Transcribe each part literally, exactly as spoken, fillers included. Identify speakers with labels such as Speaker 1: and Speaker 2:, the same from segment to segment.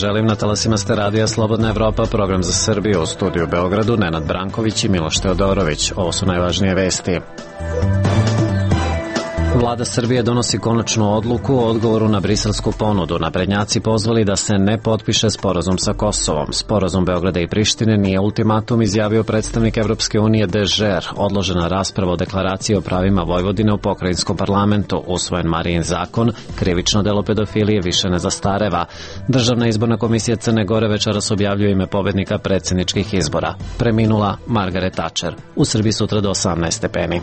Speaker 1: želim, na talasima ste radija Slobodna Evropa, program za Srbiju, u studiju u Beogradu Nenad Branković i Miloš Teodorović. Ovo su najvažnije vesti. Vlada Srbije donosi konačnu odluku o odgovoru na briselsku ponudu. Naprednjaci pozvali da se ne potpiše sporazum sa Kosovom. Sporazum Beograda i Prištine nije ultimatum, izjavio predstavnik Evropske unije Dežer. Odložena rasprava o deklaraciji o pravima Vojvodine u pokrajinskom parlamentu. Usvojen Marijin zakon, krivično delo pedofilije više ne zastareva. Državna izborna komisija Crne Gore večeras objavljuje ime pobednika predsjedničkih izbora. Preminula Margaret Thatcher. U Srbiji sutra do osamnaest stepeni.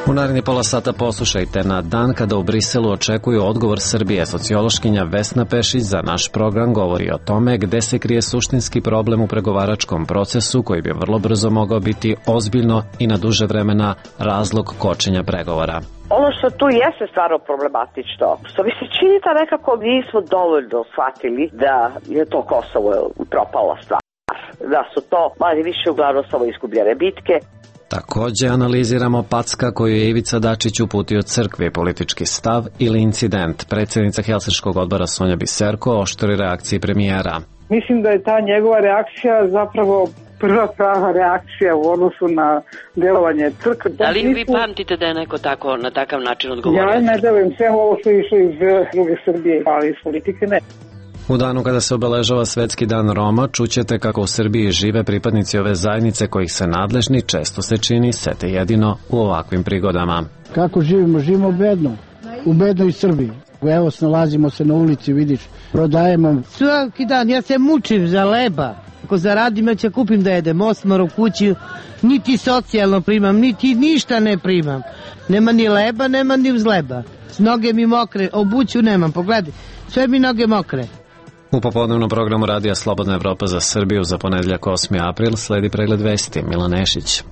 Speaker 1: U naredni pola sata poslušajte na dan kada u Briselu očekuju odgovor Srbije. Sociološkinja Vesna Pešić za naš program govori o tome gde se krije suštinski problem u pregovaračkom procesu koji bi vrlo brzo mogao biti ozbiljno i na duže vremena razlog kočenja pregovora.
Speaker 2: Ono što tu jeste stvarno problematično, što mi se čini da nekako nismo dovoljno shvatili da je to Kosovo propala stvar, da su to manje više uglavnom samo izgubljene bitke.
Speaker 1: Takođe analiziramo packa koju je Ivica Dačić uputio crkvi, politički stav ili incident. Predsjednica Helsinškog odbora Sonja Biserko oštri reakciji premijera.
Speaker 3: Mislim da je ta njegova reakcija zapravo prva prava reakcija u odnosu na delovanje crkve.
Speaker 4: Da li vi pamtite da je neko tako, na takav način odgovorio?
Speaker 3: Ja ne delujem sve ovo što je išlo iz druge Srbije, ali iz politike ne.
Speaker 1: U danu kada se obeležava Svetski dan Roma, čućete kako u Srbiji žive pripadnici ove zajednice kojih se nadležni, često se čini, sete jedino u ovakvim prigodama.
Speaker 5: Kako živimo? Živimo bedno. U bednoj Srbiji. Evo, snalazimo se na ulici, vidiš, prodajemo.
Speaker 6: Svaki dan, ja se mučim za leba. Ako zaradim, ja ću kupim da jedem osmar u kući, niti socijalno primam, niti ništa ne primam. Nema ni leba, nema ni vzleba. Noge mi mokre, obuću nemam, pogledaj, sve mi noge mokre.
Speaker 1: U popodnevnom programu radija Slobodna Evropa za Srbiju za ponedjeljak osmi april sledi pregled vesti. Milan Nešić.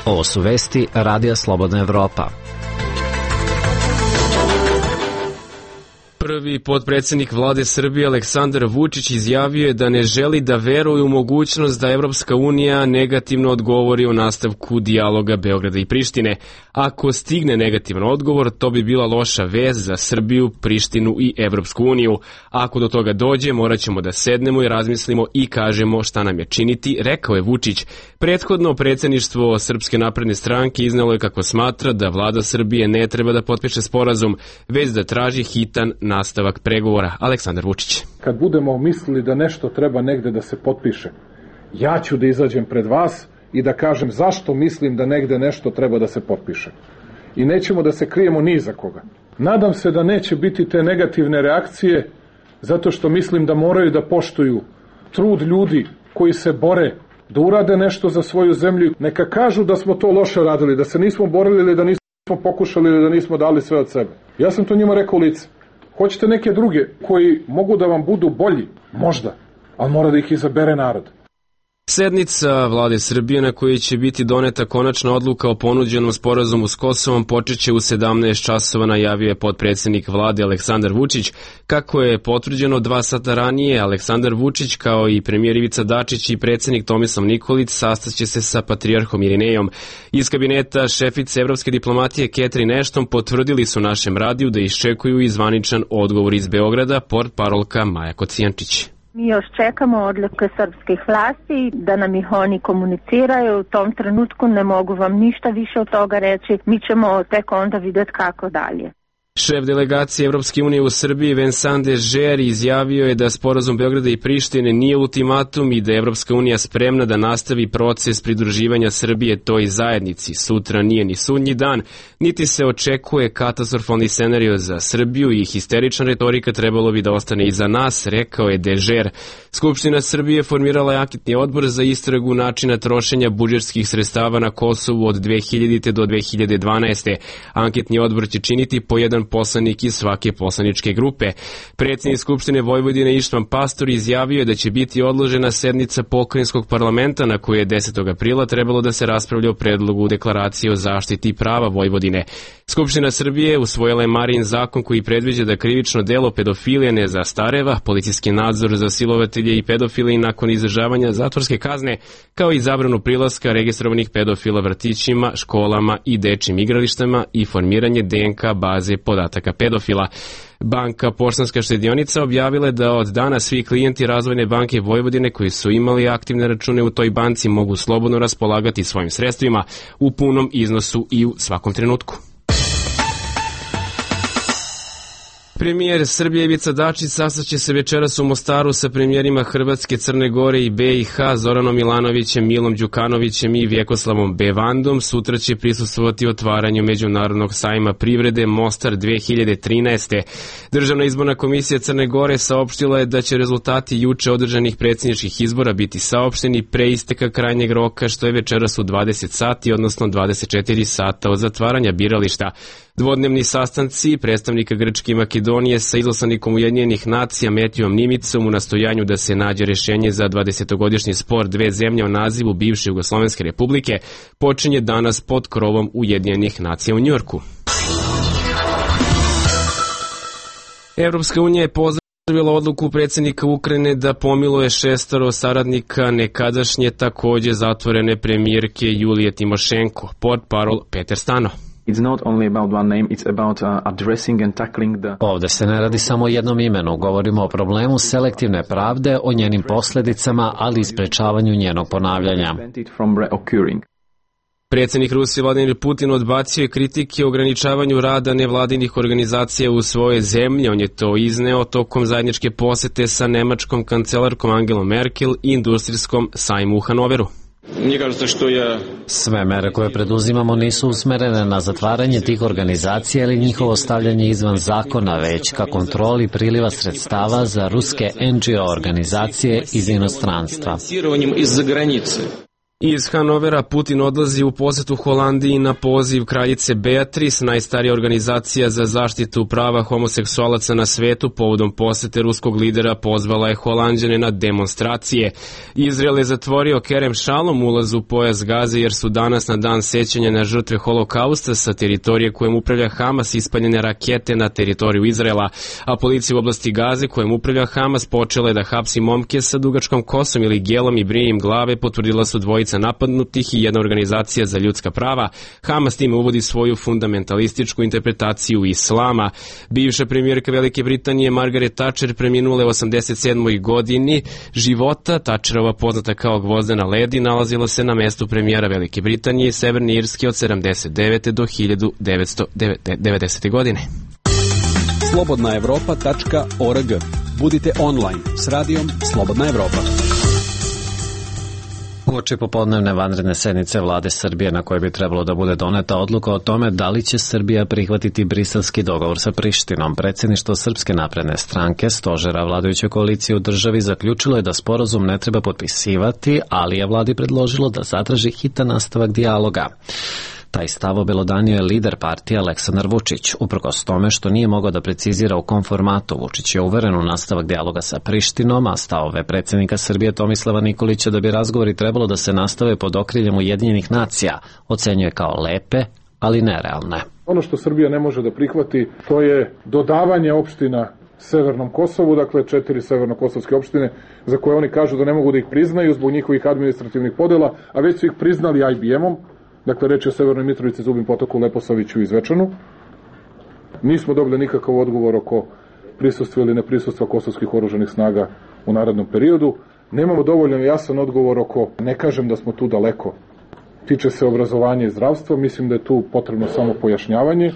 Speaker 1: Ovo su vesti radija Slobodna Evropa.
Speaker 7: Prvi potpredsjednik vlade Srbije Aleksandar Vučić izjavio je da ne želi da veruje u mogućnost da Evropska unija negativno odgovori o nastavku dijaloga Beograda i Prištine. Ako stigne negativan odgovor, to bi bila loša vest za Srbiju, Prištinu i Evropsku uniju. Ako do toga dođe, morat ćemo da sednemo i razmislimo i kažemo šta nam je činiti, rekao je Vučić. Prethodno predsjedništvo Srpske napredne stranke iznelo je kako smatra da vlada Srbije ne treba da potpiše sporazum, već da traži hitan nastavak pregovora. Aleksandar Vučić.
Speaker 8: Kad budemo mislili da nešto treba negde da se potpiše, ja ću da izađem pred vas i da kažem zašto mislim da negde nešto treba da se potpiše. I nećemo da se krijemo ni za koga. Nadam se da neće biti te negativne reakcije, zato što mislim da moraju da poštuju trud ljudi koji se bore da urade nešto za svoju zemlju. Neka kažu da smo to loše radili, da se nismo borili ili da nismo pokušali ili da nismo dali sve od sebe. Ja sam to njima rekao u lice. Hoćete neke druge koji mogu da vam budu bolji? Možda, ali mora da ih izabere narod.
Speaker 7: Sednica vlade Srbije na kojoj će biti doneta konačna odluka o ponuđenom sporazumu s Kosovom počeće u sedamnaest časova, najavio je potpredsjednik vlade Aleksandar Vučić. Kako je potvrđeno dva sata ranije, Aleksandar Vučić kao i premijer Ivica Dačić i predsjednik Tomislav Nikolić sastaće se sa patrijarhom Irinejom. Iz kabineta šefice evropske diplomatije Catherine Ashton potvrdili su našem radiju da iščekuju i zvaničan odgovor iz Beograda, portparolka Maja Kocijančić.
Speaker 9: Mi još čekamo odluke srpskih vlasti da nam ih oni komuniciraju. U tom trenutku ne mogu vam ništa više od toga reći. Mi ćemo tek onda vidjeti kako dalje.
Speaker 7: Šef delegacije Evropske unije u Srbiji Vincent Dežer izjavio je da sporazum Beograda i Prištine nije ultimatum i da je Evropska unija spremna da nastavi proces pridruživanja Srbije toj zajednici. Sutra nije ni sudnji dan, niti se očekuje katastrofalni scenario za Srbiju i histerična retorika trebalo bi da ostane iza nas, rekao je Dežer. Skupština Srbije formirala je anketni odbor za istragu načina trošenja budžetskih sredstava na Kosovu od dve hiljadite do dve hiljade dvanaeste. Anketni odbor će činiti po jedan poslanik iz svake poslaničke grupe. Predsjednik Skupštine Vojvodine Ištvan Pastor izjavio je da će biti odložena sednica pokrajinskog parlamenta na kojoj je desetog aprila trebalo da se raspravlja o predlogu deklaracije o zaštiti prava Vojvodine. Skupština Srbije usvojila je Marijin zakon koji predviđa da krivično delo pedofilije ne zastareva, policijski nadzor za silovatelje i pedofile i nakon izdržavanja zatvorske kazne, kao i zabranu prilaska registrovanih pedofila vrtićima, školama i dečjim igralištima i formiranje D N K baze pod podataka pedofila. Banka Poštanska štedionica objavila je da od dana svi klijenti Razvojne banke Vojvodine koji su imali aktivne račune u toj banci mogu slobodno raspolagati svojim sredstvima u punom iznosu i u svakom trenutku. Premijer Srbije Ivica Dačić sastaće se večeras u Mostaru sa premijerima Hrvatske, Crne Gore i B i H Zoranom Milanovićem, Milom Đukanovićem i Vjekoslavom Bevandom. Sutra će prisustvovati otvaranju Međunarodnog sajma privrede Mostar dve hiljade trinaeste. Državna izborna komisija Crne Gore saopštila je da će rezultati juče održanih predsjedničkih izbora biti saopšteni pre isteka krajnjeg roka, što je večeras u dvadeset sati, odnosno dvadeset četiri sata od zatvaranja birališta. Dvodnevni sastanci predstavnika Grčke i Makedonije sa izaslanikom Ujedinjenih nacija Metijom Nimicom u nastojanju da se nađe rješenje za dvadesetogodišnji spor dve zemlje o nazivu bivše Jugoslovenske republike počinje danas pod krovom Ujedinjenih nacija u Njujorku. Evropska unija je pozdravila odluku predsjednika Ukrajine da pomiluje šestoro saradnika nekadašnje takođe zatvorene premijerke Julije Timošenko, portparol Peter Stano.
Speaker 10: It's not only about one name, it's about uh, addressing and tackling the...
Speaker 1: Ovde se ne radi samo o jednom imenu, govorimo o problemu selektivne pravde, o njenim posljedicama, ali i sprečavanju njenog ponavljanja.
Speaker 7: Predsjednik Rusije Vladimir Putin odbacio je kritike o ograničavanju rada nevladinih organizacija u svojoj zemlji. On je to izneo tokom zajedničke posete sa nemačkom kancelarkom Angelom Merkel i industrijskom sajmu u Hanoveru.
Speaker 1: Sve mere koje preduzimamo nisu usmerene na zatvaranje tih organizacija ili njihovo stavljanje izvan zakona, već ka kontroli priliva sredstava za ruske en dži o organizacije iz inostranstva.
Speaker 7: Iz Hanovera Putin odlazi u posetu Holandiji na poziv kraljice Beatrice, najstarija organizacija za zaštitu prava homoseksualaca na svetu. Povodom posete ruskog lidera pozvala je Holanđane na demonstracije. Izrael je zatvorio Kerem Šalom ulaz u pojas Gaze jer su danas na dan sećanja na žrtve holokausta sa teritorije kojem upravlja Hamas ispaljene rakete na teritoriju Izraela, a policija u oblasti Gaze kojem upravlja Hamas počela je da hapsi momke sa dugačkom kosom ili gelom i brije im glave, potvrdila su dvojica napadnutih i jedna organizacija za ljudska prava. Hamas time uvodi svoju fundamentalističku interpretaciju islama. Bivša premijerka Velike Britanije Margaret Thatcher preminula je u osamdeset sedmoj godini života. Thatcherova, poznata kao Gvozdena ledi, nalazila se na mestu premijera Velike Britanije i Severne Irske od sedamdeset devete do hiljadu devetsto devedesete. godine.
Speaker 11: slobodna evropa tačka org. Budite online s radijom Slobodna Evropa.
Speaker 1: Uoči popodnevne vanredne sednice vlade Srbije na kojoj bi trebalo da bude doneta odluka o tome da li će Srbija prihvatiti briselski dogovor sa Prištinom, predsjedništvo Srpske napredne stranke, stožera vladajuće koalicije u državi, zaključilo je da sporazum ne treba potpisivati, ali je vladi predložilo da zatraži hitan nastavak dijaloga. Taj stav obelodanio je lider partije Aleksandar Vučić. Uprkos tome što nije mogao da precizira u kom formatu, Vučić je uveren u nastavak dijaloga sa Prištinom, a stavove predsjednika Srbije Tomislava Nikolića da bi razgovori trebalo da se nastave pod okriljem Ujedinjenih nacija ocenjuje kao lepe, ali nerealne.
Speaker 8: Ono što Srbija ne može da prihvati, to je dodavanje opština Severnom Kosovu, dakle četiri severnokosovske opštine za koje oni kažu da ne mogu da ih priznaju zbog njihovih administrativnih podela, a već su ih priznali aj bi em-om. Dakle, reč je o Severnoj Mitrovici, Zubin Potoku, Leposaviću i Zvečanu. Nismo dobili nikakav odgovor oko prisustva ili neprisustva kosovskih oružanih snaga u narednom periodu. Nemamo dovoljno jasan odgovor oko, ne kažem da smo tu daleko, tiče se obrazovanja i zdravstva, mislim da je tu potrebno samo pojašnjavanje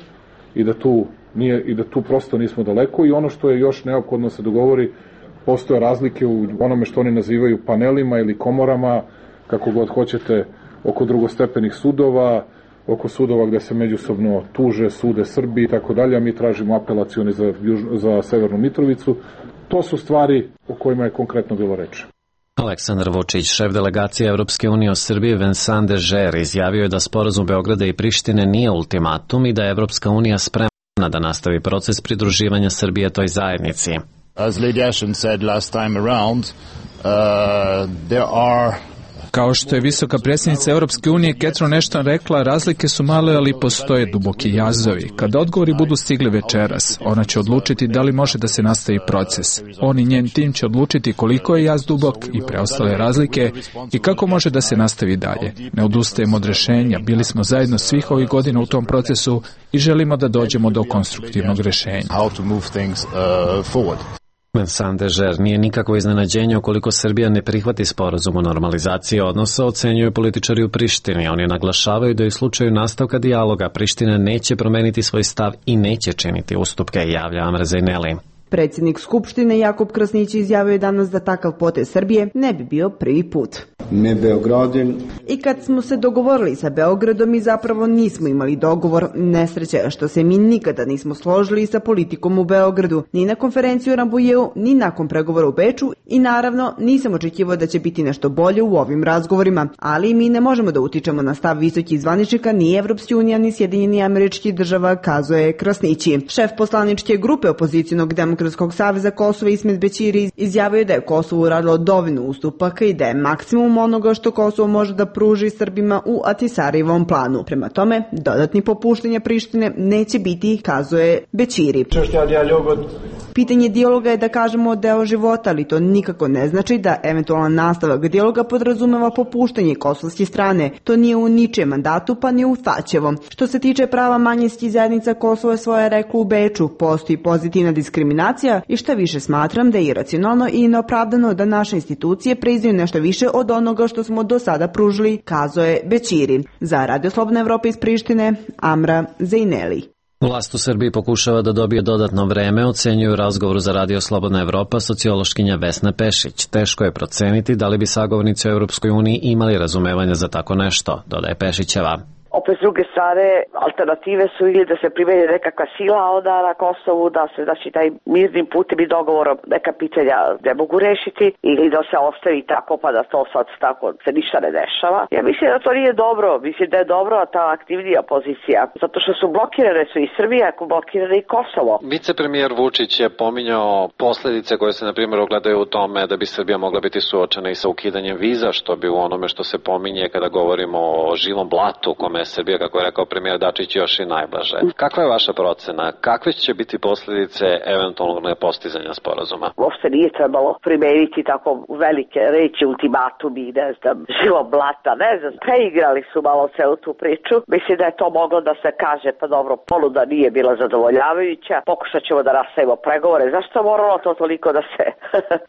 Speaker 8: i da tu, nije, i da tu prosto nismo daleko i ono što je još neophodno se dogovori, postoje razlike u onome što oni nazivaju panelima ili komorama, kako god hoćete, oko drugostepenih sudova, oko sudova gde se međusobno tuže, sude Srbiji i tako dalje, a mi tražimo apelacioni za, za Severnu Mitrovicu. To su stvari o kojima je konkretno bilo reč.
Speaker 1: Aleksandar Vučić, šef delegacije Evropske unije u Srbiji Vincent Dežer, izjavio je da sporazum Beograda i Prištine nije ultimatum i da je Evropska unija spremna da nastavi proces pridruživanja Srbije toj zajednici.
Speaker 12: As Lady Ashton said last time around, uh, there are Kao što je visoka predsjednica Europske unije Catherine Ashton rekla, razlike su male, ali postoje duboki jazovi. Kada odgovori budu stigli večeras, ona će odlučiti da li može da se nastavi proces. On i njen tim će odlučiti koliko je jaz dubok i preostale razlike i kako može da se nastavi dalje. Ne odustajemo od rešenja, bili smo zajedno svih ovih godina u tom procesu i želimo da dođemo do konstruktivnog rešenja.
Speaker 1: Vincent Dežer nije nikakvo iznenađenje ukoliko Srbija ne prihvati sporazum o normalizaciji odnosa, ocenjuju političari u Prištini. Oni naglašavaju da u slučaju nastavka dijaloga Priština neće promeniti svoj stav i neće činiti ustupke, javlja Amra Zejneli.
Speaker 13: Predsjednik Skupštine Jakub Krasnić izjavio je danas da takav potez Srbije ne bi bio prvi put.
Speaker 14: Ne Beogradin.
Speaker 13: I kad smo se dogovorili sa Beogradom, mi zapravo nismo imali dogovor. Nesreća je što se mi nikada nismo složili sa politikom u Beogradu, ni na konferenciju u Rambujeu, ni nakon pregovora u Beču i naravno nisam očekivao da će biti nešto bolje u ovim razgovorima, ali mi ne možemo da utičemo na stav visokih zvaničnika ni Evropske unije ni Sjedinjeni Američkih Država, kazuje Krasnići. Šef poslaničke grupe opozicionog Demokratskog saveza Kosova Ismet Bećiri izjavio je da je Kosovo uradilo dovoljno ustupaka i da je maksimum onoga što Kosovo može da pruži Srbima u Atisarijevom planu. Prema tome, dodatni popuštanja Prištine neće biti, kazuje Bećiri. Pitanje dijaloga je, da kažemo, deo života, ali to nikako ne znači da eventualan nastavak dijaloga podrazumeva popuštanje kosovske strane. To nije u ničijem mandatu, pa ni u Tačevom. Što se tiče prava manjinskih zajednica, Kosovo je svoje reklo u Beču. Postoji pozitivna diskriminacija i šta više smatram da je iracionalno i neopravdano da naše institucije priznaju nešto više od onoga što smo do sada pružili, kazuje Bećiri. Za Radio Slobodna Evropa iz Prištine, Amra Zejneli.
Speaker 1: Vlast u Srbiji pokušava da dobije dodatno vreme, ocenjuju u razgovoru za Radio Slobodna Evropa sociološkinja Vesna Pešić. Teško je proceniti da li bi sagovornici u Europskoj uniji imali razumevanja za tako nešto, dodaje Pešićeva.
Speaker 2: Opet s druge strane, alternative su ili da se primeni nekakva sila onda na Kosovu, da se znači taj mirnim putem i dogovorom neka pitanja ne mogu rešiti ili da se ostavi tako pa da to sad tako se ništa ne dešava. Ja mislim da to nije dobro, mislim da je dobro ta aktivnija pozicija, zato što su blokirane su i Srbija, ako blokirane i Kosovo.
Speaker 1: Vicepremijer Vučić je pominjao posledice koje se na primjer ogledaju u tome da bi Srbija mogla biti suočena i sa ukidanjem viza, što bi u onome što se pominje kada govorimo o živom blatu kome Srbija, kako je rekao premijer Dačić, još i najblaže. Kakva je vaša procena? Kakve će biti posljedice eventualnog nepostizanja sporazuma?
Speaker 2: Uopšte nije trebalo primeniti tako velike reči, ultimatumi, ne znam, živo blata, ne znam. Preigrali su malo celu tu priču. Mislim da je to moglo da se kaže, pa dobro, ponuda nije bila zadovoljavajuća. Pokušat ćemo da nastavimo pregovore. Zašto je moralo to toliko da se,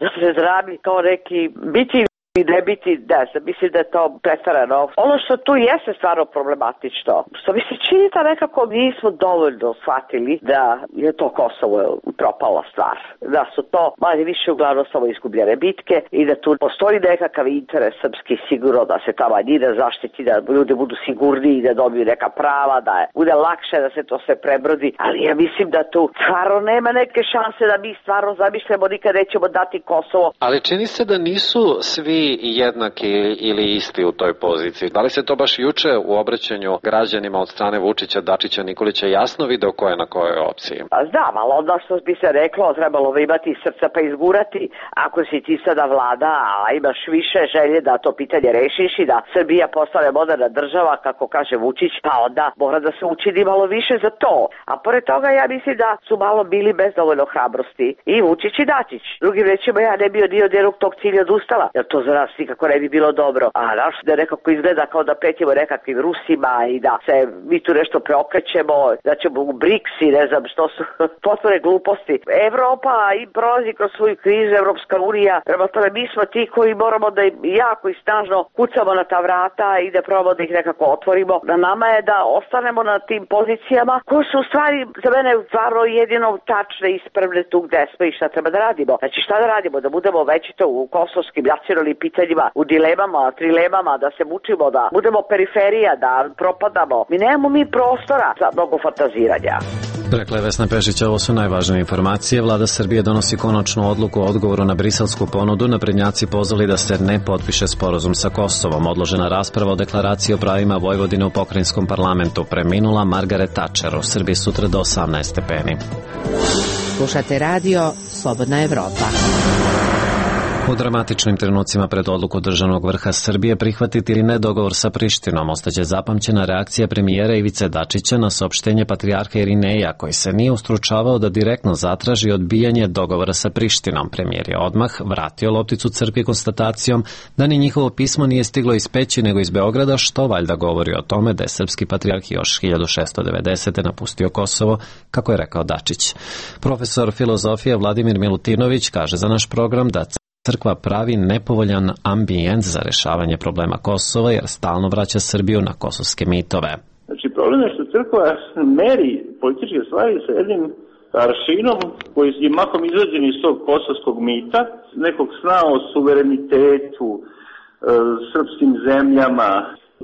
Speaker 2: da se zrami kao neki biti i ne biti, ne znam, mislim da je to pretarano. Ono što tu jeste stvarno problematično, što mi se čini da nekako nismo dovoljno shvatili da je to Kosovo propala stvar. Da su to manje više uglavnom samo izgubljene bitke i da tu postoji nekakav interes srpski sigurno da se ta manjina zaštiti, da ljudi budu sigurniji i da dobiju neka prava, da je, bude lakše da se to sve prebrodi, ali ja mislim da tu stvarno nema neke šanse da mi stvarno zamišljamo nikad nećemo dati Kosovo.
Speaker 1: Ali čini se da nisu svi jednaki ili isti u toj poziciji. Da li se to baš juče u obraćanju građanima od strane Vučića, Dačića, Nikolića jasno video ko je na kojoj opciji?
Speaker 2: Pa znam, ali onda što bi se reklo, trebalo bi imati srca pa izgurati. Ako si ti sada vlada, a imaš više želje da to pitanje rešiš i da Srbija postane moderna država, kako kaže Vučić, pa onda mora da se učini malo više za to. A pored toga ja mislim da su malo bili bez dovoljno hrabrosti i Vučić i Dačić. Drugim rečima, ja ne bio dio jednog tog cilja odustala, jer to za nas nikako ne bi bilo dobro. A naš da nekako izgleda kao da pretimo nekakvim Rusima i da se mi tu nešto preokrećemo, da ćemo u BRICS i ne znam što su potpune gluposti. Evropa i prolazi kroz svoju krizu, Evropska unija, prema tome mi smo ti koji moramo da im jako i snažno kucamo na ta vrata i da probamo da ih nekako otvorimo. Na nama je da ostanemo na tim pozicijama koje su u stvari za mene stvarno jedino tačne i ispravne tu gde smo i šta treba da radimo. Znači šta da radimo? Da budemo većito u kosovskim nacionalnim pitanjima, u dilemama, trilemama, da se mučimo, da budemo periferija, da propadamo. Mi nemamo mi prostora za mnogo fantaziranja.
Speaker 1: Rekla je Vesna Pešić, ovo su najvažnije informacije. Vlada Srbije donosi konačnu odluku o odgovoru na briselsku ponudu. Naprednjaci pozvali da se ne potpiše sporazum sa Kosovom. Odložena rasprava o deklaraciji o pravima Vojvodine u pokrajinskom parlamentu. Preminula Margaret Thatcher. U Srbiji sutra do osamnaest stepeni.
Speaker 15: Slušate radio Slobodna Evropa.
Speaker 1: U dramatičnim trenucima pred odluku državnog vrha Srbije prihvatiti ili ne dogovor sa Prištinom ostaće zapamćena reakcija premijera Ivice Dačića na saopštenje patrijarha Irineja, koji se nije ustručavao da direktno zatraži odbijanje dogovora sa Prištinom. Premijer je odmah vratio lopticu crkvi konstatacijom da ni njihovo pismo nije stiglo iz Peći nego iz Beograda, što valjda govori o tome da je srpski patrijarh još hiljadu šessto devedesete. napustio Kosovo, kako je rekao Dačić. Profesor filozofije Vladimir Milutinović kaže za naš program da crkva pravi nepovoljan ambijent za rešavanje problema Kosova jer stalno vraća Srbiju na kosovske mitove.
Speaker 14: Znači, problem je što crkva meri političke stvari sa jednim aršinom koji je mahom izrađen iz tog kosovskog mita, nekog sna o suverenitetu, e, srpskim zemljama.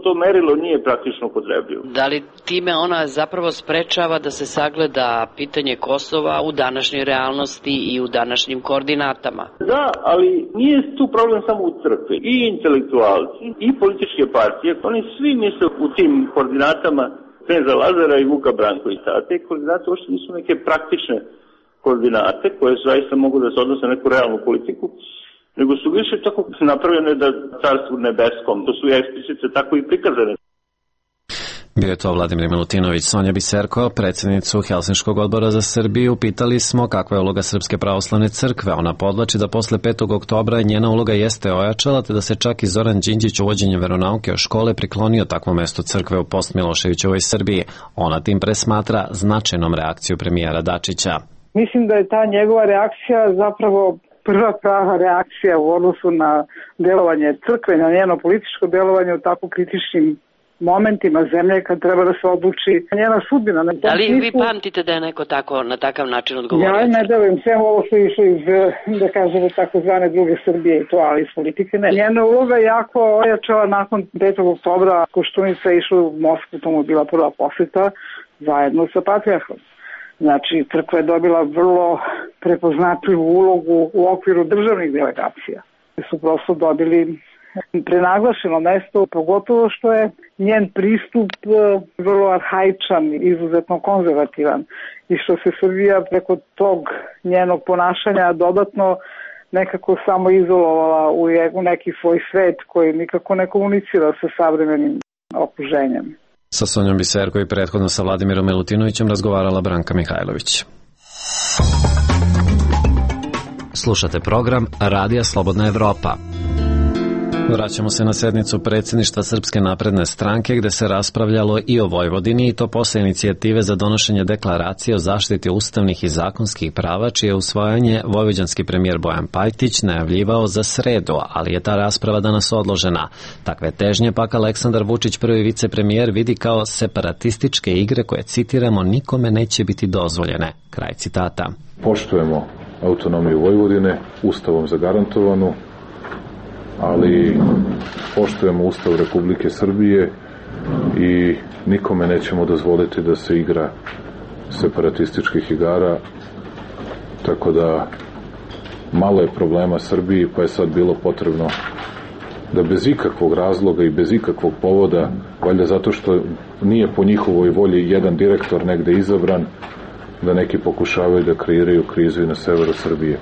Speaker 14: To merilo nije praktično upotrebljivo.
Speaker 4: Da li time ona zapravo sprečava da se sagleda pitanje Kosova u današnjoj realnosti i u današnjim koordinatama?
Speaker 14: Da, ali nije tu problem samo u crkvi. I intelektualci, i političke partije, oni svi misle u tim koordinatama Kneza Lazara i Vuka Brankovića. A te koordinate uopšte nisu neke praktične koordinate koje zaista mogu da se odnose na neku realnu politiku, nego su više tako napravljene da carstvu nebeskom, to su i eksplicite tako i prikazane.
Speaker 1: Bio je to Vladimir Milutinović. Sonja Biserko, predsjednicu Helsinškog odbora za Srbiju, pitali smo kakva je uloga Srpske pravoslavne crkve. Ona podvlači da posle petog oktobra njena uloga jeste ojačala, te da se čak i Zoran Đinđić uvođenjem veronauke o škole priklonio takvom mestu crkve u post-Miloševićevoj Srbiji. Ona tim pre smatra značajnom reakciju premijera Dačića.
Speaker 3: Mislim da je ta njegova reakcija zapravo prva prava reakcija u odnosu na delovanje crkve, na njeno političko delovanje u tako kritičnim momentima zemlje kad treba da se odluči njena sudbina.
Speaker 4: Da li vi pamtite da je neko tako, na takav način odgovorio?
Speaker 3: Ja ne delujem, sve ovo su išlo iz, da kažemo, takozvane druge Srbije i to, ali iz politike ne. Njena uloga je jako ojačala nakon petog oktobra. Koštunica je išla u Moskvu, tomu je bila prva poseta zajedno sa patrijarhom. Znači, crkva je dobila vrlo prepoznatljivu ulogu u okviru državnih delegacija. Su prosto dobili prenaglašeno mesto, pogotovo što je njen pristup vrlo arhaičan, izuzetno konzervativan i što se Srbija preko tog njenog ponašanja dodatno nekako samo izolovala u neki svoj svet koji nikako ne komunicira sa savremenim okruženjem.
Speaker 1: Sa Sonjom Biserko i prethodno sa Vladimirom Milutinovićem razgovarala Branka Mihajlović. Slušate program Radija Slobodna Evropa. Vraćamo se na sednicu predsjedništva Srpske napredne stranke gde se raspravljalo i o Vojvodini i to posle inicijative za donošenje deklaracije o zaštiti ustavnih i zakonskih prava čije usvajanje vojvođanski premijer Bojan Pajtić najavljivao za sredu, ali je ta rasprava danas odložena. Takve težnje pak Aleksandar Vučić, prvi vicepremijer, vidi kao separatističke igre koje, citiramo, nikome neće biti dozvoljene. Kraj citata.
Speaker 8: Poštujemo autonomiju Vojvodine, ustavom zagarantovanu, ali poštujemo Ustav Republike Srbije i nikome nećemo dozvoliti da se igra separatističkih igara, tako da malo je problema Srbiji, pa je sad bilo potrebno da bez ikakvog razloga i bez ikakvog povoda, valjda zato što nije po njihovoj volji jedan direktor negde izabran, da neki pokušavaju da kreiraju krizu i na severu Srbije.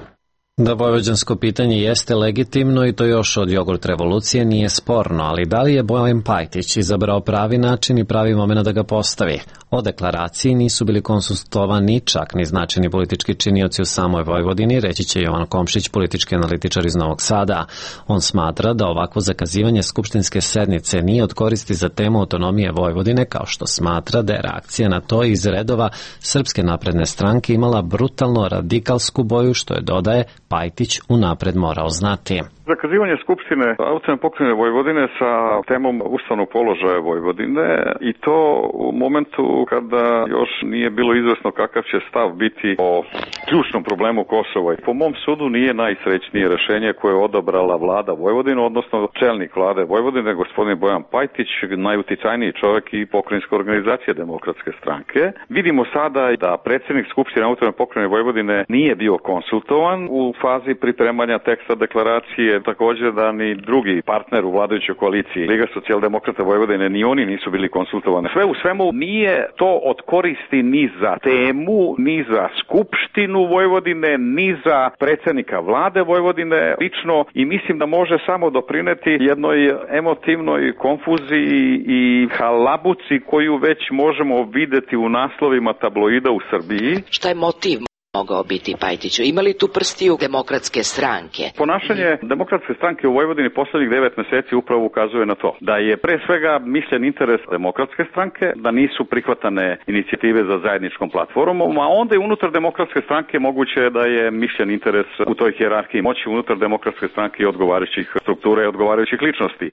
Speaker 1: Da vojvođansko pitanje jeste legitimno i to još od jogurt revolucije nije sporno, ali da li je Bojan Pajtić izabrao pravi način i pravi moment da ga postavi? O deklaraciji nisu bili konsultovani čak ni značajni politički činioci u samoj Vojvodini, reći će Jovan Komšić, politički analitičar iz Novog Sada. On smatra da ovakvo zakazivanje skupštinske sednice nije od koristi za temu autonomije Vojvodine, kao što smatra da je reakcija na to iz redova Srpske napredne stranke imala brutalno radikalsku boju, što je, dodaje, Pajtić unapred morao znati.
Speaker 15: Zakazivanje Skupštine autonomne pokrajine Vojvodine sa temom ustavnog položaja Vojvodine i to u momentu kada još nije bilo izvesno kakav će stav biti o ključnom problemu Kosova. Po mom sudu nije najsrećnije rešenje koje je odabrala vlada Vojvodine, odnosno čelnik vlade Vojvodine, gospodin Bojan Pajtić, najuticajniji čovjek i pokrajinska organizacija Demokratske stranke. Vidimo sada da predsjednik Skupštine autonomne pokrajine Vojvodine nije bio konsultovan u fazi pripremanja teksta deklaracije je također da ni drugi partner u vladajućoj koaliciji, Liga socijaldemokrata Vojvodine, ni oni nisu bili konsultovani. Sve u svemu nije to od koristi ni za temu, ni za Skupštinu Vojvodine, ni za predsjednika vlade Vojvodine lično i mislim da može samo doprineti jednoj emotivnoj konfuziji i halabuci koju već možemo videti u naslovima tabloida u Srbiji.
Speaker 16: Šta je motiv mogao biti, Pajtiću? Ima li tu prstiju demokratske stranke?
Speaker 15: Ponašanje demokratske stranke u Vojvodini poslednjih devet meseci upravo ukazuje na to. Da je pre svega mišljen interes demokratske stranke, da nisu prihvatane inicijative za zajedničkom platformom, a onda i unutar demokratske stranke moguće da je mišljen interes u toj hijerarhiji moći unutar demokratske stranke i odgovarajućih struktura i odgovarajućih ličnosti.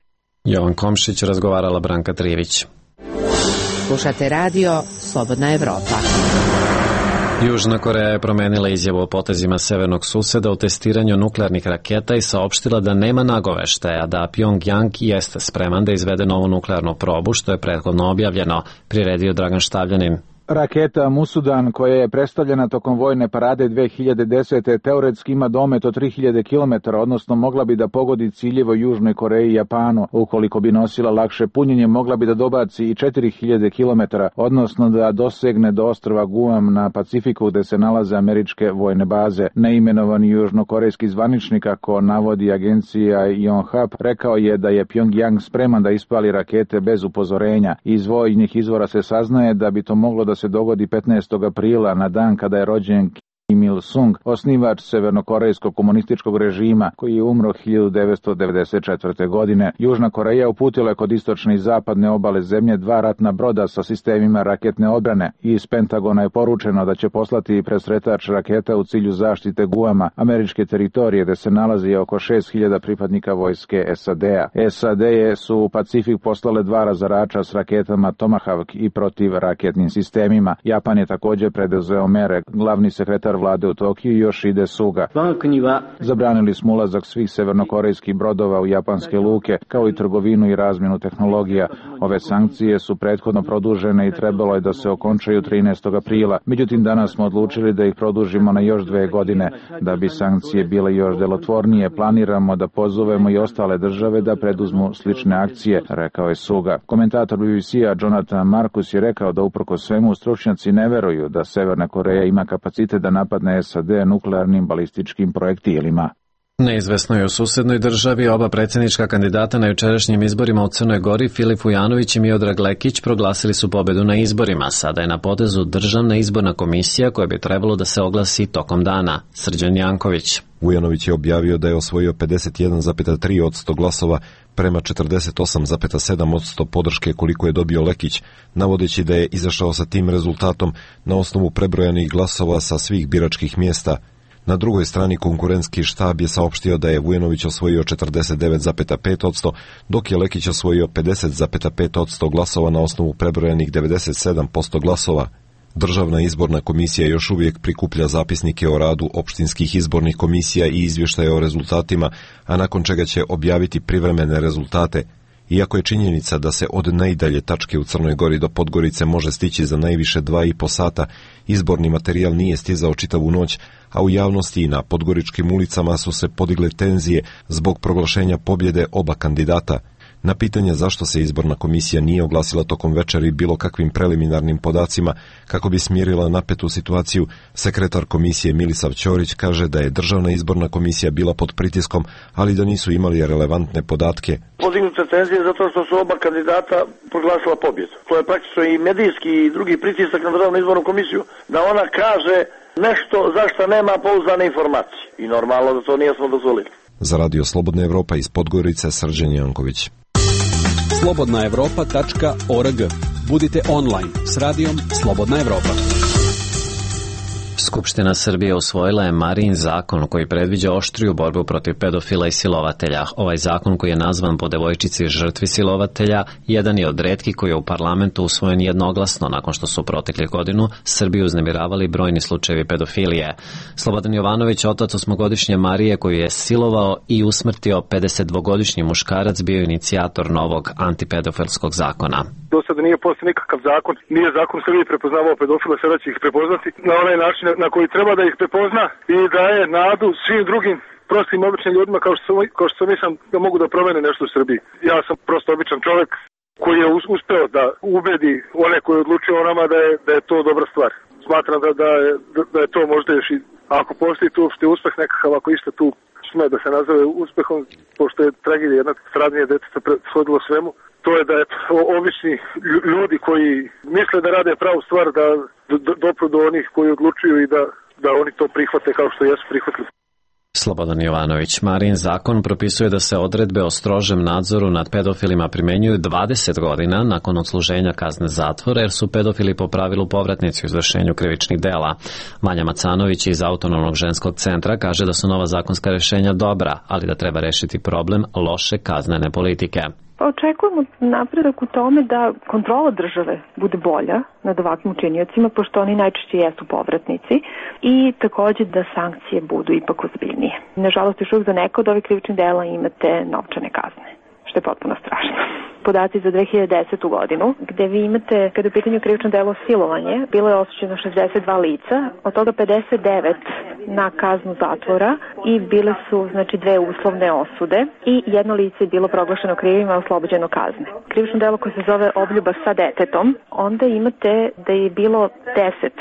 Speaker 1: Jovan Komšić, razgovarala Branka Trivić.
Speaker 16: Slušate radio Slobodna Evropa.
Speaker 1: Južna Koreja je promenila izjavu o potezima severnog suseda u testiranju nuklearnih raketa i saopštila da nema nagoveštaja da Pjongjang jeste spreman da izvede novu nuklearnu probu, što je prethodno objavljeno, priredio Dragan Štavljanin.
Speaker 17: Raketa Musudan, koja je predstavljena tokom vojne parade dve hiljade desete. teoretski ima domet od tri hiljade kilometara, odnosno mogla bi da pogodi ciljeve Južnoj Koreji i Japanu. Ukoliko bi nosila lakše punjenje, mogla bi da dobaci i četiri hiljade kilometara, odnosno da dosegne do ostrva Guam na Pacifiku gde se nalaze američke vojne baze. Neimenovani južnokorejski zvaničnik, kako navodi agencija Yonhap, rekao je da je Pjongjang spreman da ispali rakete bez upozorenja. Iz vojnih izvora se saznaje da bi to moglo da se dogodi petnaestog aprila, na dan kada je rođen Kim Il-sung, osnivač severnokorejskog komunističkog režima, koji je umro hiljadu devetsto devedeset četvrte. godine. Južna Koreja uputila je kod istočne i zapadne obale zemlje dva ratna broda sa sistemima raketne odbrane. Iz Pentagona je poručeno da će poslati presretač raketa u cilju zaštite Guama, američke teritorije, gde se nalazi oko šest hiljada pripadnika vojske S A D-a. S A D su u Pacifik poslale dva razarača s raketama Tomahawk i protivraketnim sistemima. Japan je također preduzeo mere. Glavni sekretar vlade u Tokiju Yoshide Suga. Zabranili smo ulazak svih severnokorejskih brodova u japanske luke, kao i trgovinu i razmjenu tehnologija. Ove sankcije su prethodno produžene i trebalo je da se okončaju trinaestog aprila. Međutim, danas smo odlučili da ih produžimo na još dve godine. Da bi sankcije bile još delotvornije, planiramo da pozovemo i ostale države da preduzmu slične akcije, rekao je Suga. Komentator B B C-a Jonathan Marcus je rekao da uprko svemu stručnjaci ne veruju da Severna Koreja ima kapacitet da napadne S A D nuklearnim balističkim projektilima.
Speaker 1: Neizvesno je u susednoj državi. Oba predsjednička kandidata na jučerašnjim izborima u Crnoj Gori, Filip Vujanović i Miodrag Lekić, proglasili su pobedu na izborima. Sada je na potezu Državna izborna komisija koja bi trebalo da se oglasi tokom dana. Srđan Janković.
Speaker 18: Vujanović je objavio da je osvojio pedeset jedan zarez tri posto glasova prema četrdeset osam zarez sedam posto podrške koliko je dobio Lekić, navodeći da je izašao sa tim rezultatom na osnovu prebrojanih glasova sa svih biračkih mjesta. Na drugoj strani konkurentski štab je saopštio da je Vujanović osvojio četrdeset devet zarez pet posto, dok je Lekić osvojio pedeset zarez pet posto glasova na osnovu prebrojanih devedeset sedam posto glasova. Državna izborna komisija još uvijek prikuplja zapisnike o radu opštinskih izbornih komisija i izvještaje o rezultatima, a nakon čega će objaviti privremene rezultate. Iako je činjenica da se od najdalje tačke u Crnoj Gori do Podgorice može stići za najviše dva i po sata, izborni materijal nije stizao čitavu noć, a u javnosti i na podgoričkim ulicama su se podigle tenzije zbog proglašenja pobjede oba kandidata. Na pitanje zašto se izborna komisija nije oglasila tokom večeri bilo kakvim preliminarnim podacima kako bi smirila napetu situaciju, sekretar komisije Milisav Ćorić kaže da je Državna izborna komisija bila pod pritiskom, ali da nisu imali relevantne podatke.
Speaker 19: Podignute tenzije zato što su oba kandidata proglasila pobjedu. To je praktično i medijski i drugi pritisak na Državnu izbornu komisiju da ona kaže nešto zašto nema pouzdane informacije. I normalno da to nije smo dozvolili.
Speaker 18: Za Radio Slobodna Evropa iz Podgorice, Srđan Janković.
Speaker 11: slobodna evropa tačka org. Budite online s radijom Slobodna Evropa.
Speaker 1: Skupština Srbije usvojila je Marijin zakon koji predviđa oštriju borbu protiv pedofila i silovatelja. Ovaj zakon, koji je nazvan po devojčici žrtvi silovatelja, jedan je od retkih koji je u parlamentu usvojen jednoglasno nakon što su protekle godinu Srbiju uznemiravali brojni slučajevi pedofilije. Slobodan Jovanović, otac osmogodišnje Marije koju je silovao i usmrtio pedesetdvogodišnji muškarac, bio inicijator novog antipedofilskog zakona.
Speaker 20: do sada nije postao nikakav zakon, nije zakon u Srbiji prepoznavao pedofila, sada će ih prepoznati na onaj način na koji treba da ih prepozna i daje nadu svim drugim prostim običnim ljudima kao što, kao što mislim da mogu da promene nešto u Srbiji. Ja sam prosto običan čovjek koji je uspeo da ubedi one koji odlučuju o nama da je, da je to dobra stvar. Smatram da, da, je, da je to možda još i, ako postoji tu uopšte uspeh nekakav, ako išta tu sme da se nazove uspehom, pošto je tragedija jedna stradanje djeteta shodilo svemu, to je da je obični ljudi koji misle da rade pravu stvar, da dopru do onih koji odlučuju i da, da oni to prihvate kao što jesu prihvatili.
Speaker 1: Slobodan Jovanović. Marin zakon propisuje da se odredbe o strožem nadzoru nad pedofilima primenjuju dvadeset godina nakon odsluženja kazne zatvora, jer su pedofili po pravilu povratnici u izvršenju krivičnih dela. Vanja Macanović iz Autonomnog ženskog centra kaže da su nova zakonska rešenja dobra, ali da treba rešiti problem loše kaznene politike.
Speaker 21: Očekujemo napredak u tome da kontrola države bude bolja nad ovakvim učiniocima, pošto oni najčešće jesu povratnici, i takođe da sankcije budu ipak ozbiljnije. Nažalost, još uvijek za neka od ovih krivičnih dela imate novčane kazne, što je potpuno strašno. Podaci za dve hiljade desetu godinu, gde vi imate, kada je u pitanju krivično delo silovanje, bilo je osuđeno šezdeset dva lica, od toga pedeset devet na kaznu zatvora i bile su, znači, dve uslovne osude i jedno lice je bilo proglašeno krivim, a oslobođeno kazne. Krivično delo koje se zove obljuba sa detetom, onda imate da je bilo deset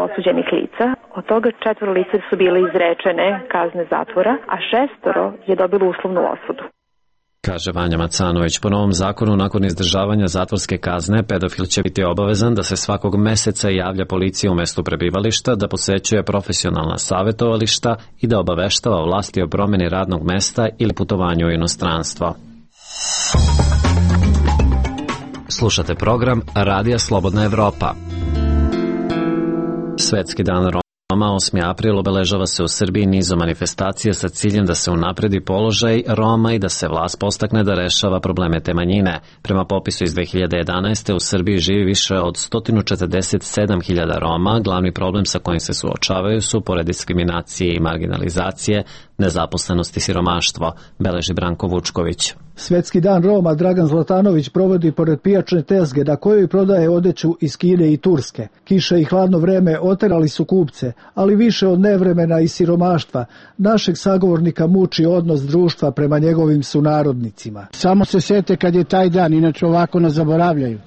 Speaker 21: osuđenih lica, od toga četvoro lica su bile izrečene kazne zatvora, a šestoro je dobilo uslovnu osudu.
Speaker 1: Kaže Vanja Macanović. Po novom zakonu, nakon izdržavanja zatvorske kazne, pedofil će biti obavezan da se svakog meseca javlja policiji u mestu prebivališta, da posećuje profesionalna savjetovališta i da obaveštava vlasti o promjeni radnog mesta ili putovanju u inostranstvo. Slušate program Radija Slobodna Evropa. Svetski dan Roma osmi april obeležava se u Srbiji nizom manifestacija sa ciljem da se unapredi položaj Roma i da se vlast postakne da rešava probleme te manjine. Prema popisu iz dve hiljade jedanaeste. u Srbiji živi više od sto četrdeset sedam hiljada Roma. Glavni problem sa kojim se suočavaju su, pored diskriminacije i marginalizacije, nezaposlenost i siromaštvo, beleži Branko Vučković.
Speaker 22: Svetski dan Roma Dragan Zlatanović provodi pored pijačne tezge na kojoj prodaje odeću iz Kine i Turske. Kiše i hladno vreme oterali su kupce, ali više od nevremena i siromaštva našeg sagovornika muči odnos društva prema njegovim sunarodnicima.
Speaker 5: Samo se sete kad je taj dan, inače ovako nas zaboravljaju.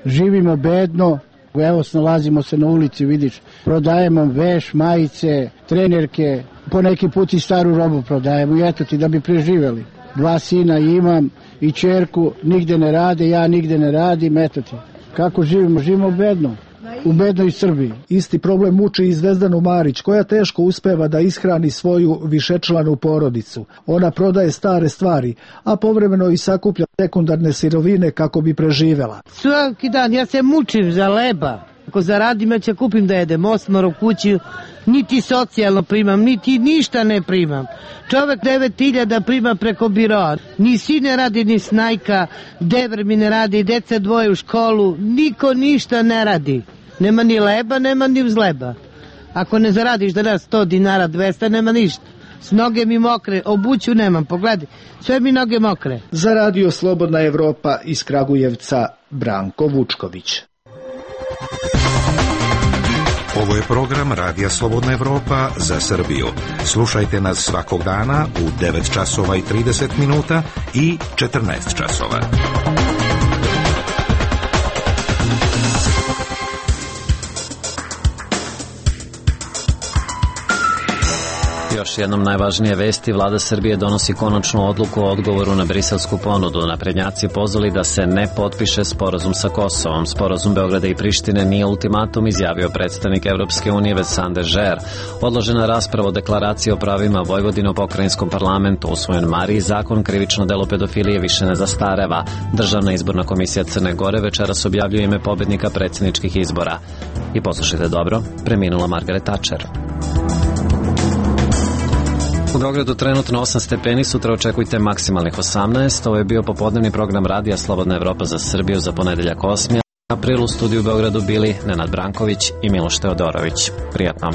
Speaker 5: Živimo bedno, evo nalazimo se na ulici, vidiš, prodajemo veš, majice, trenerke, po neki put i staru robu prodajemo i eto ti da bi preživjeli. Dva sina imam i čerku, nigde ne rade, ja nigde ne radim, eto ti. Kako živimo? Živimo bedno. U bednoj Srbiji.
Speaker 22: Isti problem muči i Zvezdanu Marić, koja teško uspeva da ishrani svoju višečlanu porodicu. Ona prodaje stare stvari, a povremeno i sakuplja sekundarne sirovine kako bi preživela.
Speaker 6: Svaki dan ja se mučim za leba. Ako zaradim, ja će kupim da jedem osmar u kući, niti socijalno primam, niti ništa ne primam. Čovek devet hiljada prima preko biroa, ni sin ne radi, ni snajka, dever mi ne radi, deca dvoje u školu, niko ništa ne radi. Nema ni leba, nema ni vzleba. Ako ne zaradiš danas sto dinara, dvesta, nema ništa. S noge mi mokre, obuću nemam, pogledaj, sve mi noge mokre.
Speaker 22: Za Radio Slobodna Evropa iz Kragujevca, Branko Vučković.
Speaker 23: Ovo je program Radija Slobodna Evropa za Srbiju. Slušajte nas svakog dana u devet časova i trideset minuta i četrnaest časova.
Speaker 1: Još jednom najvažnije vesti. Vlada Srbije donosi konačnu odluku o odgovoru na briselsku ponudu. Naprednjaci pozvali da se ne potpiše sporazum sa Kosovom. Sporazum Beograda i Prištine nije ultimatum, izjavio predstavnik Evropske unije Vincent Žer. Odložena rasprava o deklaraciji o pravima Vojvodine u pokrajinskom parlamentu, usvojen Mariji zakon, krivično delo pedofilije više ne zastareva. Državna izborna komisija Crne Gore večeras objavljuje ime pobednika predsjedničkih izbora. I poslušajte dobro, preminula Margaret Thatcher. U Beogradu trenutno osam stepeni, sutra očekujte maksimalnih osamnaest. Ovo je bio popodnevni program Radija Slobodna Evropa za Srbiju za ponedeljak osmi april. U studiju u Beogradu bili Nenad Branković i Miloš Teodorović. Prijatno.